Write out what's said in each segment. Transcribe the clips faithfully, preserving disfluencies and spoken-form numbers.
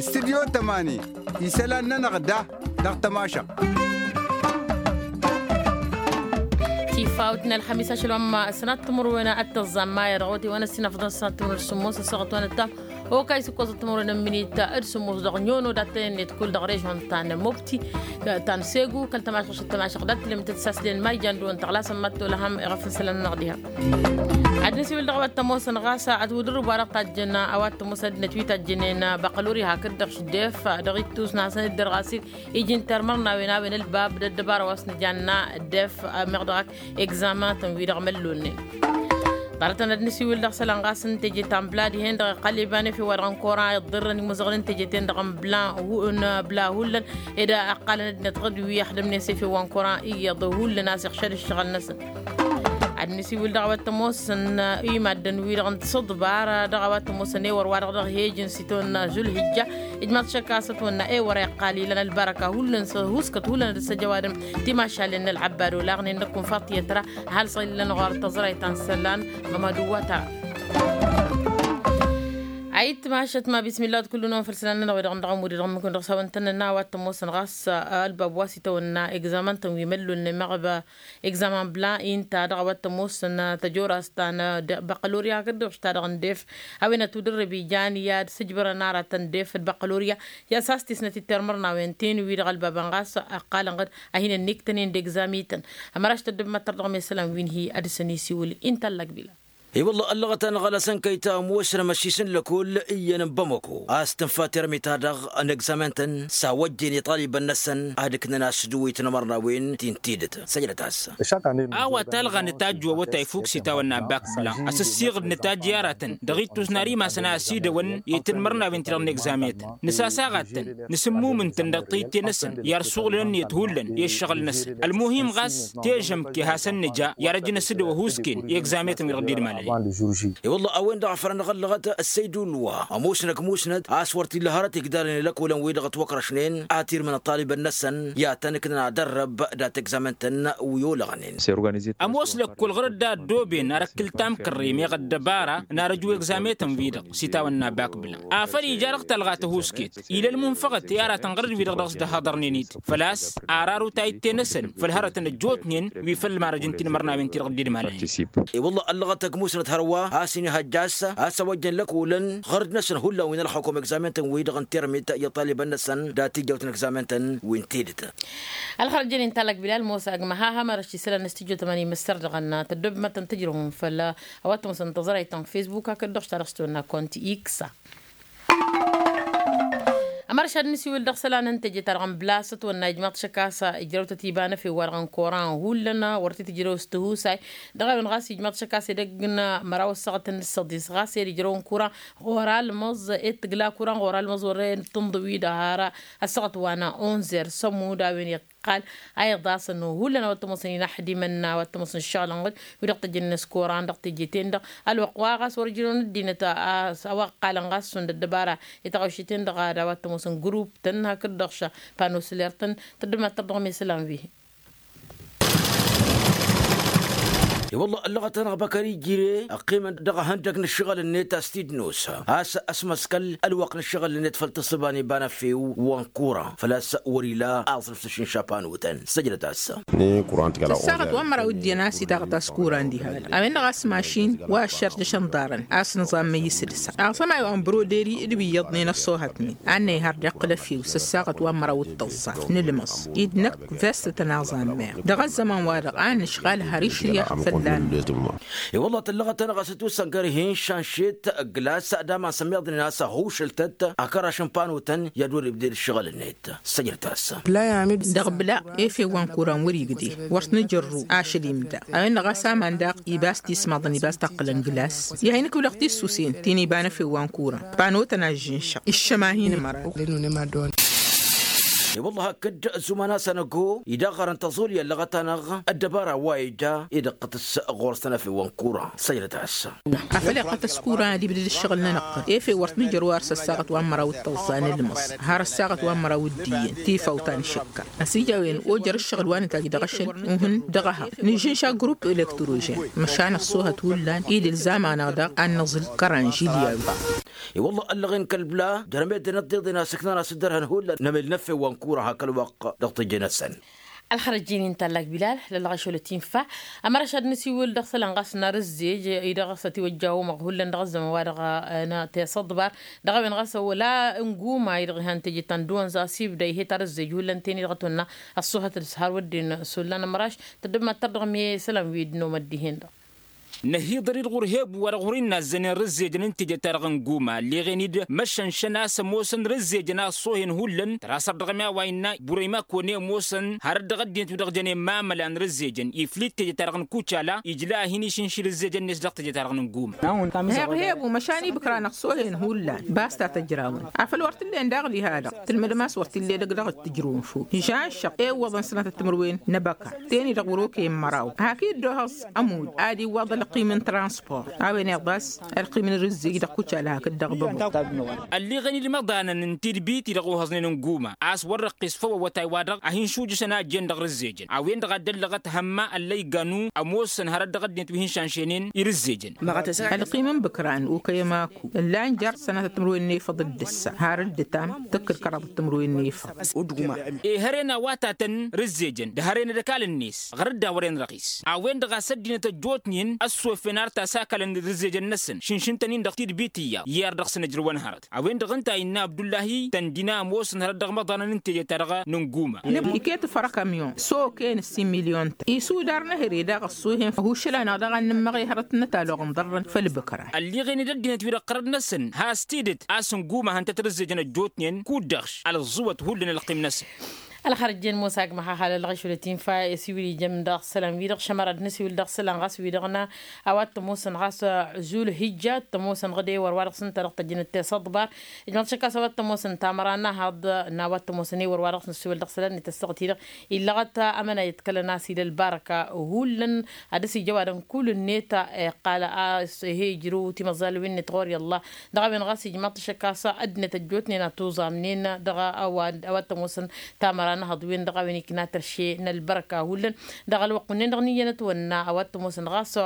Studyo tămani isălan-nănăɣ da dăɣ-tămašăɣt. Tifawt n-ălxămis ašăl wa n-ma sănat timǝrwen ad-tăẓẓam maya dăɣ-wăte wa n-ăssinăfḍăn sănat timǝrwen d-sǝmmos ăssaɣăt wa n-ăttam okay s-ǝkkoẓăt timǝrwen n-minit d-sǝmmos dăɣ-nyono dat-tăn-ennet kull dăɣ-režon ta n-mobti ta n-segu kăl-tămašăɣt s-tămašăɣt dat-tǝlǝmtăt s-aslen ma ijan dăɣ-wăn tăɣlasăn mad-tolăhăm iɣăf n-isălan-nănăɣ diha. Ad-nǝsiwǝl dăɣ-a-wa t-ămoosăn ɣas ad-wǝdǝr ǝbwa dăɣ-tajjăn a-wa t-ămoosăn ăddinăt wi tajjănen băqqăluri hakd-dăɣ šǝddef dăɣ-ittus n-ad-hasăn-dd-dăr ɣas-dd iji n-termărnawen a-wen ălbab d-ăddăbara wa s-nǝjanna ăddef meɣ dăɣ-ak egzaman-tăn-wi-dăɣ măllonnen. Ḍarăt-tăn ad-nǝsiwǝl dăɣ-isălan ɣas n-teje ta n-bla dihen-dăɣ iqqal iba n-efew wa dăɣ-n koran iḍḍărrăn imǝzăɣăn n-teje-ten-dăɣ n-bla n-bla hullan ed ăqqalăn ăddinăt ɣǝd wi ăxdămnen s-efew wa n-koran iyyăḍ hullan a-s iɣšăd ǝššăɣǝl-năsăn. Ad-nǝsiwǝl dăɣ-a-wa t-ămoosăn i-maddǝn-wi-dăɣ n-tisǝḍbar dăɣ-a-wa t-ămoosăn ewăr wa-dăɣ dăɣ-hej n-siton n-zulhijja. Ijmaḍ šăkk a-s ătwănna ewăr a iqqal ilăn ălbarăka hullan s-huskăt hullan ad-ăssăjăwadăm timašalen n-ălɣăbbad olaɣnen năkk unfaḍ tiyyăt ra. Ăhalsăɣ illăn ɣur-tăẓrayt ta n-isălan ɣămădu wa tăra. Ayǝtmašăt ma bismillah d-kullu-năwăn făll-isălan-nănăɣ wi-dăɣ n-dăɣ-ămud-i-dăɣ n-mǝkǝn dăɣ-s a-wa ǝntănnăna a-wa t-ămoosăn ɣas ălbab wa s-itawănna egzaman-tăn wi măllolnen meɣ ăba egzaman bla inta dăɣ-a-wa t-ămoosăn tăjorast ta n-băqqălorya hakd-dăɣ š-ta-dăɣ n-def. A-wen ătudărrăb ijan i-ad-sǝjbărăn aratăn def d-băqqălorya i-ad-sas-tisnăt i-termărnawen-ten-wi-dăɣ ălbabăn ɣas ăqqalăn ɣǝd a hin-ănniktănen d-egzamităn. Ămăraš tăddǝb măttăr dăɣ-mesălan wi n-hi-ad-săn isiwǝl inta n-lăkbila. I-wălla ăllăɣăt-anăɣ ălasăn kăy-ta ămoosnăm ăššis n-lăkull iyyăn n-bamăko a-s tǝnfa termit-ta-dăɣ n-egzamen-tăn s-a wăjjen iṭalibăn-năsăn ad-ǝknăn asǝdǝw i-tinmărnawen ti n-tidǝt. Săjdăt-as. A-wa talɣa nǝtajj wăwătay fuk s-itawănna bak bla asǝssiɣǝd nǝtajj i-aratăn dăɣ-ittus n-ar imasăn a ăsidăwăn i-tinmărnawen-ti-dăɣ n-egzamen-tăn nǝsasaɣ ad-tăn nǝsǝmmum ǝntăn dăɣ-tayǝtte-năsăn i-ad-suɣǝlăn ǝnniyăt hullan i-ǝššăɣǝl-năsăn ălmuhim ɣas tejămke hasăn-nǝja i-ad-ăj n-asǝdǝw ăhuusken i-egzamen-tăn wi-dăɣ dd-imalănen. I-wălla a-wen-dăɣ a fărăn ăɣăllăɣăt ăssăydulwa ămoosnăk musnăt a-s wăr t-illa hărăt igdalăn i-lăkolăn wi-dăɣ ătwăkrăšnen ad-tirmǝn ăṭṭalibăn-năsăn i-ad-tăn-ǝknăn ad-ărrăb dat-egzamen-tăn wi olăɣnen. Ămoos lăkkol ɣur-dd a ăddooben arăkkǝl tamkărre meɣ ăddăbara n-arăju egzamen-tăn-wi-dăɣ s-itawănna bak bla afăl ija dăɣ-talɣa tăhusket ila ălmunfăɣăt i-aratăn ɣur-dd wi-dăɣ dăɣ-s dd-ăhaḍărnen-dd făl-a-s ar aru tayǝtte-năsăn făll-hărătăn ăjjootnen wi făll-marăj n-tinmărnawen-ti-dăɣ dd-idmalănen. I-wălla ăllăɣăt ăgg-musnăt hărwa a-s inihăjja a-s a-s a-wa ăjjăn lăkolăn ɣur-dd-năsăn hullan wi n-ălxukum egzamen-tăn-wi-dăɣ n-termit i-ăṭṭalibăn-năsăn dat-ijjawt n-egzamen-tăn wi n-tidǝt. Ălxărăt jănen talăkbila ălmoos agmăha hamărăš isălan n-studyo tămani măssăr dăɣ-ănna tăddob mad-tăn-tǝjrăwăm făll-a-wa t-ămoosăn tăẓrayt ta n-facebook hakd-dăɣ s-ta dăɣ-s tăwănna kont x. Ămăršad n-isiwǝl dăɣ-isălan n-teje-ta-dăɣ n-blas ătwănna ijmaḍ šăkk a-s ijrăw-tăt iba n-efew-wa-dăɣ n-koran hullan wăr t-tǝjrăw s-tihusay. Dăɣ-a-wen ɣas ijmaḍ šăkk a-s edăgg n-măraw ăssaɣăt n-ǝssăḍis ɣas ed ijrăw n-koran ɣur-almăẓ ed tǝgla koran ɣur-almăẓ wăren tǝnḍǝw-i-dăɣ har ăssaɣăt wa n-unzer s-ămudd a-wen iqqal a iḍasăn hullan a-wa t-ămoosăn inaxdimăn a-wa t-ămoosăn ǝššăɣǝl n-ɣǝd wi-dăɣ tăjjănen s-koran dăɣ-teje-ten-dăɣ. Ălwăqq wa ɣas wăr ǝjrăwăn ăddinăt a-wa ǝqqalăn ɣas šund ăddăbara i-taɣăwšet-ten-dăɣ ad-a-wa t-ămoosăn grup-tăn hakd-dăɣ š-pano soler-tăn. Tăddămăttăr dăɣ-mesălan wi. I-wălla ăllăɣăt-anăɣ băkări jire ăqqimăn dăɣ-ehăndăg n-ǝššăɣǝl-net a-s t-dd-nos a-s ăsmăskăl ălwăqq n-ǝššăɣǝl-net făll-tǝssǝba n-iba n-efew wa n-kura făl-a-s wăr-ila aẓrǝf s-ašǝnša panotăn. Săjdăt-as. Săssaɣăt wa n-măraw d-iyyăn a-s itaɣăt a-s kura n-diha a-wen-dăɣ a-s mašin wa ăššărjăšăn ḍarăn a-s nǝẓam măyyǝs d-sa aẓămay wa n-broderi d-wi iyyăḍnen ăṣṣohătnen a n-năyhăr d-iqqǝl efew s-ăssaɣăt wa n-măraw d-tăẓẓa n-ǝlmăẓ-i d-năkk. Vest tănăẓammer dăɣ-ăzzăman-wa-dăɣ a nǝšɣal har išrǝyăɣ fălla-năɣ. I-wălla tăllăɣăt-anăɣ a-s ătwǝssăngăr hin-šanšet ǝgglas d-aman s-ămmiḍnen a-s ăhušǝl-tăt akăraš n-panotăn i-ad-wăr-ibded ǝššăɣǝl-net. Săjdăt-as. Dăɣ-bla efew wa n-kuran wăr-igdeh wăr t-nǝjărru ašăl imda a-wen-dăɣ a-s aman daɣ iba a-s tismaḍăn iba a-s taqqǝlăn glas. I-ad-hin-ǝkǝwlăɣ tissusen ti n-iba n-efew wa n-kuran panotăn a ǝžžǝnšăɣ iššăm a hin-ǝmăra. I-wălla hakd ăzzuman-as anăgo idăɣ ɣărăn tăẓul i-ăllăɣăt-anăɣ ăddăbara wa ija idăqqăt-s ɣur-săn efew wa n-kuran. Săjdăt-as. Afăl iqqăt-ăs kuran ad-ibdǝd ǝššăɣǝl-nănăɣ-tăn efew wăr t-nǝjăr wa ărs ăssaɣăt wa n-măraw d-tăẓẓa n-ǝlmăẓ har ăssaɣăt wa n-măraw d-iyyăn tifawt a nǝšǝkka. Ăsijăwen ojăr ǝššăɣǝl wa nǝtajj dăɣ-ašăl uhǝn dăɣ-ehăɣ nǝžžǝnša grup elektrožen măšan ăṣṣohăt hullan i-dd-ǝlzam-anăɣ daɣ ad-nǝẓǝl kăranžilyawen. I-wălla ăllăɣen kăl-bla jărămedden ăḍḍeḍen a-s ǝknan a-s dd-ărhăn hullan n-emel n-effe wa n-kura hakăl-wăqq dăɣ-tejănăsăn. Ălxărăjjen-in tallak bilal lălɣăšolăt infa. Ămăraš ad-nǝsiwǝl dăɣ-isălan ɣas n-arǝzzej-i-dăɣ s-ătiwăjja omăɣ hullan dăɣ-ăzzăman wa-dăɣ n-tesăḍbar dăɣ-a-wen ɣas wăla n-guma-i-dăɣ ihăn teje ta n-dăwăn za s-ibda ih'-e tarǝzzej hullan teni-dăɣ ătwănna ăṣṣuhăt dăɣ-s har wădden s-ollan ămăraš. Tăddăb mad-tărdăɣ mi-isălan wi dd-nomăt dihen-dăɣ. Năhiḍăr-dd ɣur-hebu wa dăɣ-ɣur-innă ăzzănen rǝzzejăn n-teje-ta-dăɣ n-guma ălleɣen-dd măšănšăn a-s ămoosăn rǝzzejăn a ăṣṣohen hullan tăra săr dăɣ-mi a-wa innă burăyma kăwăn-e ămoosăn hărăt dăɣ-ăddinăt wi-dăɣ jăn i-mamălan rǝzzejăn iflǝy d-teje-ta-dăɣ n-kucala ijla a hin-išǝnši rǝzzejăn-net dăɣ-teje-ta-dăɣ n-guma. Heɣ hebu măšan ibǝkran ăṣṣohen hullan bas ta tăjrawăn afăl wăr t-ǝllen daɣli ha-dăɣ tǝlmǝdăm a-s wăr t-ille dăgg-dăɣ d-tǝjrǝwăn fok žanšăɣ ewwăḍăn sănatăt timǝrwen n-ebăka teni-dăɣ wăr-okăyăn măraw hak-dd-ohăẓ ămudd ad-iwwaḍ ălqim n-transport a-wen iḍas ălqim n-rǝzzej dăɣ-kucala hakd-dăɣ băbăw. Ălleɣen-dd imăḍanăn n-tidbit-i-dăɣ ohăẓnen n-guma a-s wăr-răqqis făw awătay-wa-dăɣ a hin-šujǝšăn a ăjjeen dăɣ-rǝzzejăn a-wen-dăɣ a dd-ăllăɣăt hămma ăllăyganu ămoosăn hărăt dăɣ-ăddinăt wi hin-šanšenen i-rǝzzejăn. Ălqim n-bǝkran okăyăm aku ǝllan jer-sănatăt timǝrwen n-efăḍ d-ǝssa har dd-ǝtam tǝkkǝd kăraḍăt timǝrwen n-efăḍ. Ehăren a-wa tatăn rǝzzejăn d-hăren d-ăkall-net ɣur-dd a wăren răɣis a-wen-dăɣ a-s ăddinăt ăjjootnen ăssofen ar tasakălăn d-rǝzzejăn-năsăn šǝnšǝn-tăn-in dăɣ-tidbit-i-ya i-ar dăɣ-săn ǝjrǝwăn hărăt a-wen-dăɣ ǝnta a innă abdullahi tăndina ămoosăn hărăt dăɣ-imăḍanăn n-teje-ta-dăɣ n-ǝnguma. Iket făr akămyon s-okăyăn ǝssin milyon-tăn isudar n-ehăre daɣ ăṣṣohen ăhušǝl-anăɣ daɣ ad-nǝmmăɣ i-hărăt n-ătalluɣ n-iḍarrăn făll-bǝkra. Ălliɣen-dd ăddinăt-wi-dăɣ ɣărăt-năsăn has-tidǝt a-s ǝnguma hăn-tăt-rǝzzejăn ăjjootnen kud-dăɣ-š ălẓǝwăt hullan ălqim-năsăn. Ălxărăjjen musa agmăx a halălɣăš wăla tinfa i-siwǝl ijăm dăɣ-isălan-wi-dăɣ šămăra d-nǝsiwǝl dăɣ-isălan ɣas wi-dăɣ n-a-wa t-ămoosăn ɣas zul hijja t-ămoosăn ɣǝd ewăr wa-dăɣ s-ǝnta dăɣ-tăjjănăt tesăḍbar. Ijmăḍ šăkk a-s a-wa t-ămoosăn tamăra n-ahăḍ n-a-wa t-ămoosăn ewăr wa-dăɣ s-nǝsiwǝl dăɣ-isălan-net ăssaɣăt-i-dăɣ illăɣăt amănayăt kălăn-as ila ălbarăka hullan. Ad-dăɣ-s ija ăwadǝm kull-net iqqal a-s he-ijrǝw timăẓalwen-net ɣur-i ăllah. Dăɣ-a-wen ɣas ijmăḍ-t šăkk a-s ăddinăt ăjjootnen a tuẓamnen dăɣ-a-wa t-ămoosăn tamăra n-ahăḍ-wen dăɣ-a-wen ikna tărše n-ălbărăka hullan. Dăɣ-ălwăqq wǝnnin-dăɣ n-iyyăn ătwănna a-wa t-ămoosăn ɣas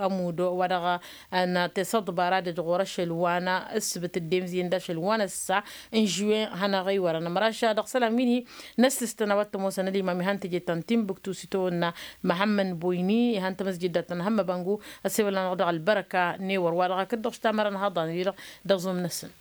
amud wa dăɣ-a n-tesăḍbara d-ɣur-ašăl wa n-ǝssǝbǝt dd-emzǝyăn d-ašăl wa n-ăssa n-žuwen hanăɣ-iwărăn ămăraš dăɣ-isălan wi n-hi n-ăssistăn a-wa t-ămoosăn ălimam ihăn teje ta n-tinbuktu s-itawănna. Măhămmăn boyni ihăn tamăsjidda ta n-hămmăbangu. Ăssewăl-anăɣ dăɣ-ălbărăka n-ewăr wa dăɣ-akǝddăɣ s-tamăra n-haḍan-wi-dăɣ dăɣ-zom-năsăn.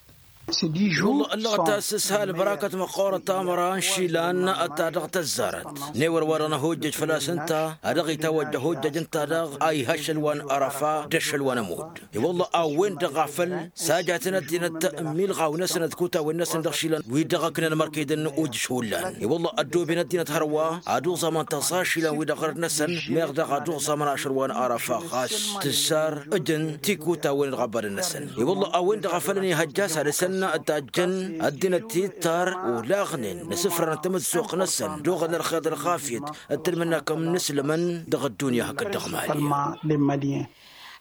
Wălla ăllăɣăt a-s s-ha ălbărakăt măqqoorăt tamăra n-išilan ta dăɣ-tăzzarăt n-ewăr wa dăɣ-năhojjăj făl-a-s ǝnta a dăɣ-itawăjja hojjăj ǝnta daɣ a iha ašăl wa n-arăfa d-ašăl wa n-ămudd. I-wălla a-wen-dăɣ a făl sajatăn ăddinăt n-milɣaw-năsăn d-kutawen-năsăn dăɣ-išilan wi dăɣ-ǝknăn mărkăydăn ojǝš hullan. I-wălla ăddooben ăddinăt hărwa ad-uẓamăn tăẓa ašăl-an wi-dăɣ ɣărăt-năsăn meɣ daɣ ad-uẓamăn ašăl wa n-arăfa ɣas tǝzzar ǝjăn tikutawen dăɣ-ăbbadăn-năsăn. I-wălla a-wen-dăɣ a făl ănihăjja a-s ad-dăr-săn tajjăn ăddinăt tittar olaɣnen n-asǝfran n-tamǝzzuɣt-năsăn d-oɣăl n-ălxer d-ălxafyăt d-tǝlmǝnna kămm-nǝslămăn dăɣ-ăddunya hakd dăɣ-mali.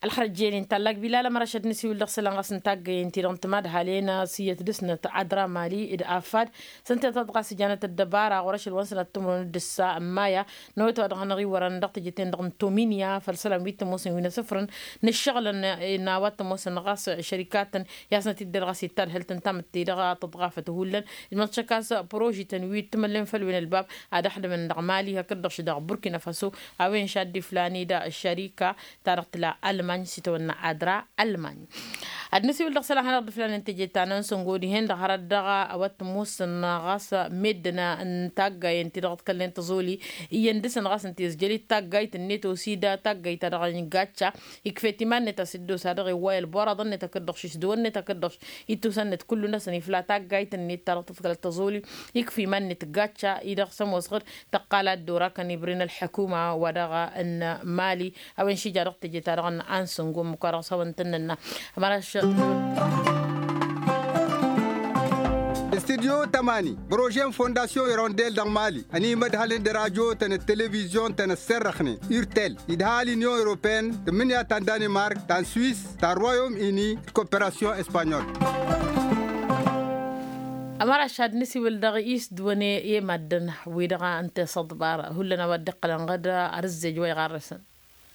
Ălxărăjjen-in tallak bilal ămăraš ad-nǝsiwǝl dăɣ-isălan ɣas n-taggayen-ti-dăɣ n-timadhalen s-iyyăt dăr-snăt adra mali d-afad. S-ǝnta-tăt ɣas ǝjanăt ăddăbara ɣur-ašăl wa n-sănat timǝrwen d-ǝssa ămmaya n-awătay wa dăɣ-hanăɣ-iwărăn dăɣ-teje-ten-dăɣ n-tominya făll-isălan wi t-ămoosăn wi n-asǝfrǝn n-ǝššăɣǝlăn n-a-wa t-ămoosăn ɣas šărikatăn i-asnăt-dd-dăr ɣas ittadhăl-tăn tamǝtte dăɣ-tăḍɣafăt hullan. Ǝjmăḍ šăkk a-s proži-tăn wi t-măllen făll-wen ălbab ad-ăxdǝmăn dăɣ-mali hakd-dăɣ-š dăɣ-burkina faso. A-wen šaddi flan-i d-šărika ta dăɣ-tǝla ălmany s-itawănna adra ălmany. Ad-nǝsiwǝl dăɣ-isălan hanăɣ-dd-flanen teje ta n-ansăngo dihen-dăɣ hărăt dăɣ-a-wa t-ămoosăn ɣas meddǝn n-taggayen-ti-dăɣ ǝḍkălnen tăẓoli iyyăn dăr-săn ɣas ǝnta izjăl-dd taggayt-net osi d-taggayt-ta-dăɣ n-gacca. Ikf'-et iman-net a-s dd-osa dăɣ-iwway ălboraḍăn-net hakd-dăɣ-š isdǝwăn-net hakd-dăɣ-š ittusăn-net kullu-năsăn ifla taggayt-net ta dăɣ-tǝḍkălăt tăẓoli. Ikf' iman-net gacca-i-dăɣ s-ămoosăɣ-dd tăqqal ad-dd-orakăn ibren ălḥăkuma wa dăɣ-n mali. A-wen šija dăɣ-teje-ta-dăɣ n-ansǝngo ǝmmǝk wa dăɣ-s hawăn-tăn-nănna. Ămăraš studyo tămani prože n-fondasyon irondel dăɣ-mali ănimădhălăn d-radyo-tăn d-televizyon-tăn ăsserrăxnen urtel idha l-inyon europeen tǝmmǝnǝya ta n-danimark ta n-swis ta n-royom ini d-koperasyon espanyol. Ămăraš ad-nǝsiwǝl dăɣ-isdǝwăn i-maddǝn wi-dăɣ n-tesăḍbar hullan a-wa dd-iqqălăn ɣǝd arǝzzej wa iɣarrăsăn.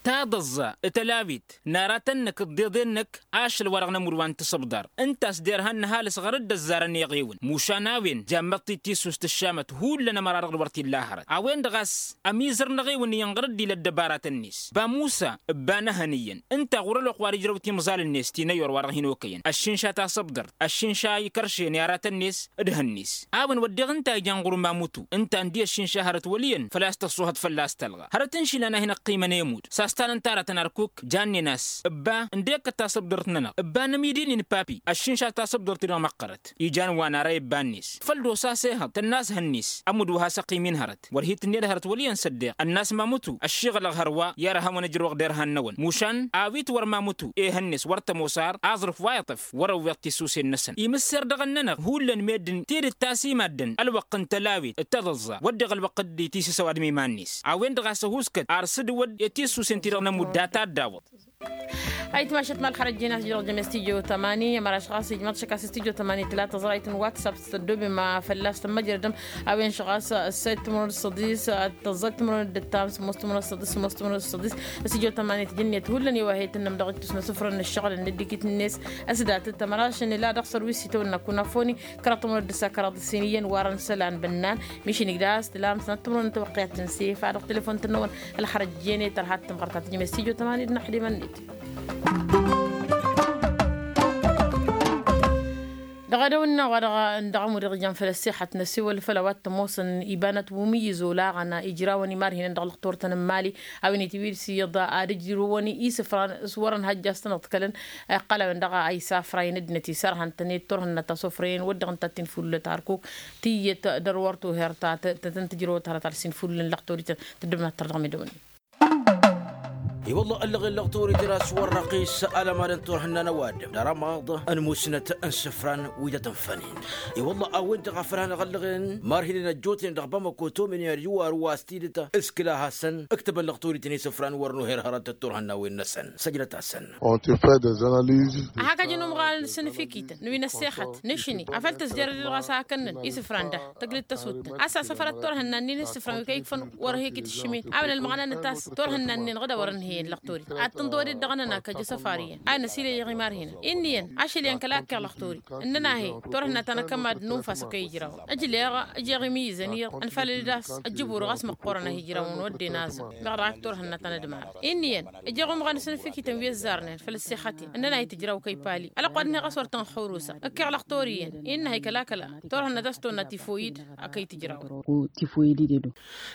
taḍăẓẓa tălawit n-aratăn-năk d-iḍen-năk ašăl wa-dăɣ nămud wa n-tasǝbḍar. Ǝnta a-s derhan n-ăhalǝs ɣărăt d-ăzzarăn iɣewǝn mušan a-wen jammăḍ-t-dd tissust ǝššamăt hullan ămăra-dăɣ d-wăr t-illa hărăt a-wen-dăɣ a-s ămizăr n-eɣewǝn iyyăn ɣărăt d-ila ăddăbaratăn-net. Bamusa ǝbba n-ehăn iyyăn ǝnta ɣur-ălwăqq wa d-ijrăw timẓal-net ti n-ăyor wa-dăɣ hin-okăyăn ăššinša tasăbḍărt ăššinša ikăršen i-aratăn-net d-ehăn-net. A-wen wădden ǝnta a ijan ɣur-mamutu ǝnta ǝndi ăššinša hărăt wăl' iyyăn făl-a-s tăṣṣuhăt fălla-s tălɣa hărăt n-išilan a hin-ăqqimăn emud s-a-s tanăn taratăn arkuk jannen a-s ǝbba ǝndek tasăbḍărt-nănăɣ ǝbba n-amidi-nin papi ăššinša tasăbḍărt-i-dăɣ măqqărăt. Ijan wa n-ara i-ǝbba-net făl d-osa s-ehăḍ tănn'-as ehăn-net ămudd wa has-ăqqim-in hărăt wăr hi-tǝnned hărăt wăl' iyyăn s-ăddeɣ ănn'-as mamutu ăššiɣălăɣ hărwa i-ad-ăhhăwăn ǝjrăwăɣ derhan-năwăn mušan awit wăr mamutu ehăn-net wăr tămoos ar aẓrǝf wa iṭṭăf wăr-ăwweḍ tisusen-năsăn imǝsser dăɣ-ănnănăɣ hullan meddǝn tidǝt ta s-imaddăn ălwăqq n-tălawit d-taḍăẓẓa wădden ălwăqq dd-itisǝsăw ad-miman-net. A-wen-dăɣ a-s ăhuuskăt ar s-dd-wădd i-tisusen-ti-dăɣ nămudd data dd-awăḍ. Ayǝtmašăt ma ălxărăjjen a-s jăr-dăɣ jăme studyo tămani ămăraš ɣas ijmăḍ šăkk a-s studyo tămani tǝla tăẓrayt n-whatsapp s-tăddobem fălla-s tămmăjrădăm. A-wen šăɣas ăssayt timǝrwen d-săḍis tăẓẓayt timǝrwen d-ǝttam sǝmmos timǝrwen d-săḍis sǝmmos timǝrwen d-săḍis. Studyo tămani tǝjǝnnet hullan i-wa he-tǝnnăm dăɣ-ittus n-asǝfrăn n-ǝššăɣǝl n-dd-ikit-net. S-datăt ămăraš n-ila dăɣ-sărwis itawănna kunafoni kăraḍ timǝrwen d-ǝssa kăraḍ ǝssin iyyăn warăn isălan bănnan. Mišǝnik d-ass tǝlam sănat timǝrwen n-tawăqqiyat n-sef a dăɣ-telefon tǝnnăwăn. Ălxărăjjen i-tărha d-tǝmɣărt a tǝjǝme studyo tămani d-inăxdimăn-net. Dăɣ-edăw-nănăɣ wa dăɣ-ămud iɣjan făll-ăssixăt năsiwăl făll-a-wa t-ămoosăn ibanăt wi mǝyyǝz olaɣăn ijrawăn imarhinăn dăɣ-lăxturătăn n-imali. A-wen itwǝy-dd s-iyyăḍ ad-ǝjrǝwăn isǝfran s-wărăn hajj a-s tăn-ăḍkălăn. Iqqăl a-wen-dăɣ a isafa i-năddinăt isărhăn-tăn i-turhǝnna ta s-ofrăyăn wăr dăɣ-ǝnta t-infullăt arkuk. Tiyyăt dăr-wăr tuher ta tăn-tǝjrăwăt hărăt ar s-infullen lăxtorităn. Tăddǝbnat tăr dăɣ-medăwăn. I-wălla ăllăɣen lăɣturităn a-s wăr răqqis alămadăn turhǝnna n-ăwadǝm d-arămaḍ n-musnăt n-isǝfran wi tăt-ǝnfănen. I-wălla a-wen-dăɣ a făl hanăɣ-ăllăɣen marhinen ăjjootnen dăɣ-bamăko tomen i-ad-iwar wa s-tidǝt s-kǝla-hasăn ǝktăbăn lăɣturităn isǝfran wăr nuher hărăt d-turhǝnnawen-năsăn săjdăt-asăn. Ăhakăjăn umɣan s-inǝfikităn n-wi n-ăssexăt nǝšni afăl tǝzjăr-dd ɣas a hakăn-nǝn isǝfran da tăglǝt tăsuttăn a-s asăfărăt turhǝnna-nin isǝfran wi kăy-ikfăn wăr he-kitǝššǝmen a-wen ălmăɣna n-tas turhǝnna-nin ɣǝd a wărăn heyăn lăxtorit ad-tǝnḍăwăd-dd dăɣ-nănakăj asăfar iyyăn a năsileɣ i-marhinăn. Inn'-iyyăn ašăl iyyăn kăla ǝkkeɣ lăxtorit ǝnnăn a he turhǝnna ta n-akămad n-unfas a kăy-ijrawăn ǝjleɣ ǝjeɣ imǝyyǝzăn iyyăḍ ǝnfalăl-dd a-s ăjjǝbur ɣas măqqoorăn a hi-ijrawăn wădden aẓǝm meɣ dăɣ-ak turhǝnna ta n-ădmal. Inn'-iyyăn ǝjeɣ umɣan s-inǝfikităn wi ăzzarnen făll-ăssexăten ǝnnăn a hi-tǝjraw kăy-pali ălăqwad-net ɣas wăr tăn-xurusăn ǝkkeɣ lăxtor iyyăn innă a hi-kăla-kăla turhǝnna ta s-tonna tifoyid a kăy-tǝjraw.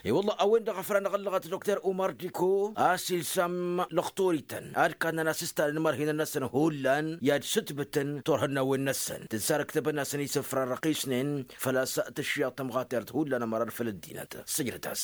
I-wălla a-wen-dăɣ a făl anăɣ-ăllăɣăt dokter umar diko a-s ilsam lăxtorităn ad-kannăn asǝstan n-imarhinăn-năsăn hullan i-ad-sǝtbǝtăn turhǝnnawen-năsăn tǝnsarăktăbăn-asăn isǝfran răqisnen. Făl-a-s tǝššiḍ tămɣatert hullan ămăra d-făll-ăddinăt sǝjdăt-as.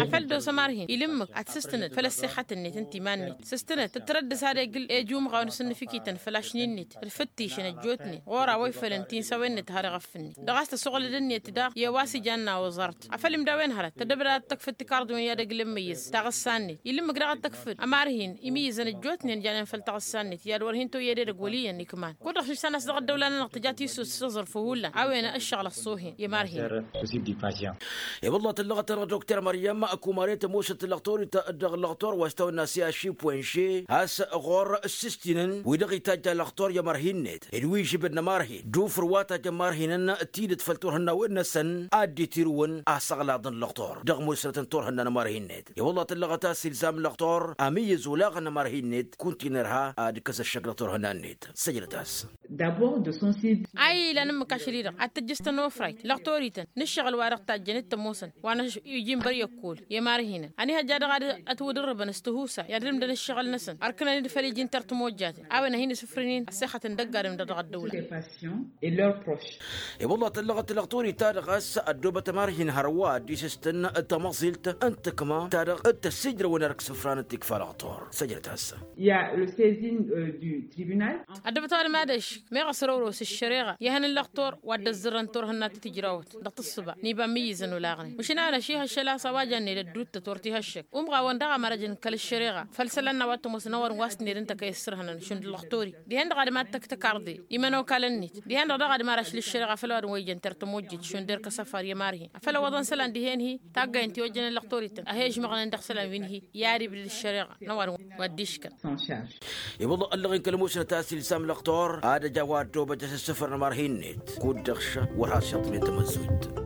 Afăl dd-osa marhin ilǝmmǝk ad-t-sǝstǝnăt făll-ăssexăt-net ǝnta iman-net sǝstǝnăt tǝttărăddǝs ad-egǝl ejumɣaw n-asǝnnǝfikităn făll-ašnin-net d-fǝttǝšăn ăjjootnen ɣur-a-wa ifălăn tinsawen-net har iɣăf-net dăɣ-a-s tăsuɣǝlăd-net daɣ i-a-wa s-ijanna oẓart afăl imdawen hărăt tăddăbdăd ad-tăkfǝd tikarḍiwen i-ad-ăglǝmmǝyyǝz taɣǝssa-net. Ilǝmmǝk daɣ ad-tăkfǝd ămarhin imǝyyǝzăn ăjjootnen janen făll-taɣǝssa-net i-ad-wăr hin-toyy edăgg wăl' iyyăn ikman kud-dăɣ šǝštan a-s dăɣ-ăddăwla-nănăɣ tǝja tissus s-aẓrǝf hullan a-wen ăššăɣǝl ăṣṣoohen i-marhin. I-wălla tǝllăɣăt-anăɣ dokter măryăm ăkkumaret ămoosăt lăɣtorit dăɣ-lăɣtor wa s-tawănna s-i-ašipwenše a-s ɣur-ǝssǝstinăn wi-dăɣ itajj alăɣtor i-ămărhin-net d-wi žibăd n-ămărhin d-ufǝr wa tajjăn mărhinăn tidǝt făll-turhǝnnawen-năsăn ad-dd-itirǝwăn asăɣlaḍ n-lăɣtor dăɣ-musnăt n-turhǝnna n-ămărhin-net. I-wălla tǝllăɣăt a-s ilzam lăɣtor amǝyyǝz olaɣăn n-ămărhin-net kunta inărha ad-ǝkkăs ăššăk dăɣ-turhǝnna-net. Săjdăt-as. A ilan ǝmmǝk ašăl-i-dăɣ ad-tǝjjǝstăn ofrayt lăɣtorităn n-ǝššăɣǝl-wa-dăɣ tajjăn d-tămoosăn wa n-iji n-băryăkkol i-imarhinăn ănihăjja dăɣ-ad-ătwǝdǝrrǝbăn s-tǝhusa i-ad-dd-ǝmdăn ǝššăɣǝl-năsăn ărkǝnăn-dd făll-iji n-tertǝmojjaten a-wen a hin-isǝfrǝnin ăssexăt n-dăgg-adǝm dăɣ-dăɣ-ăddăwla. I-wălla tăllăɣăt lăɣtorit-ta-dăɣ a-s ăddoobăt ămarhin hărwa dd-isǝstǝn d-tamăẓilt n-tǝkma-ta-dăɣ d-tăssijrăwăn erk isǝfran d-tikfa lăɣtor săjdăt-as. Ăddăbăt ăwadǝm ad-ăšk Meɣ ăsrăwrăw s-ăššăreɣa i-ehăn n-lăxtur wa dd-ăzzărrăn turhǝnna ti tǝjrawăt dăɣ-tǝssǝba n-iba n-imǝyyǝzăn olaɣnen mašin anăšihăššăl a-s a-wa jănnen ădduuttăt wăr t-ihăššăk umɣawăn daɣ a mărăjăn kăl-ăššăreɣa făll-isălan n-a-wa t-ămoosăn a-wa dăɣ-n wa s-tǝnned ǝnta kăy-ăssărhănăn šund lăxtor-i dihen-dăɣ ad-imadd tăkk tăkarḍe imănokalăn-net dihen-dăɣ daɣ ad-imarăš l-ăššăreɣa făll-a-wa dăɣ-n wa ijăn tertămojjet šund erk ăsăfar i-ămarhin afăl ăwwăḍăn isălan dihen-hi taggayăn ti ojjănen lăxtor-ităn a he-ǝžmăɣnen dăɣ-isălan wi n-hi i-ad-ibdǝd ăššăreɣa n-a-wa dăɣ-n wa dd-iškăn. Iwǝḍăɣ ăllăɣen kăl-ămoosnăt a-s ilsam lăxtor ad-ăj a-wa ăddoobăt asǝssǝfăr n-ămarhi-net kud-dăɣ šăh wăr has-iyyăḍnen tamăzzojt.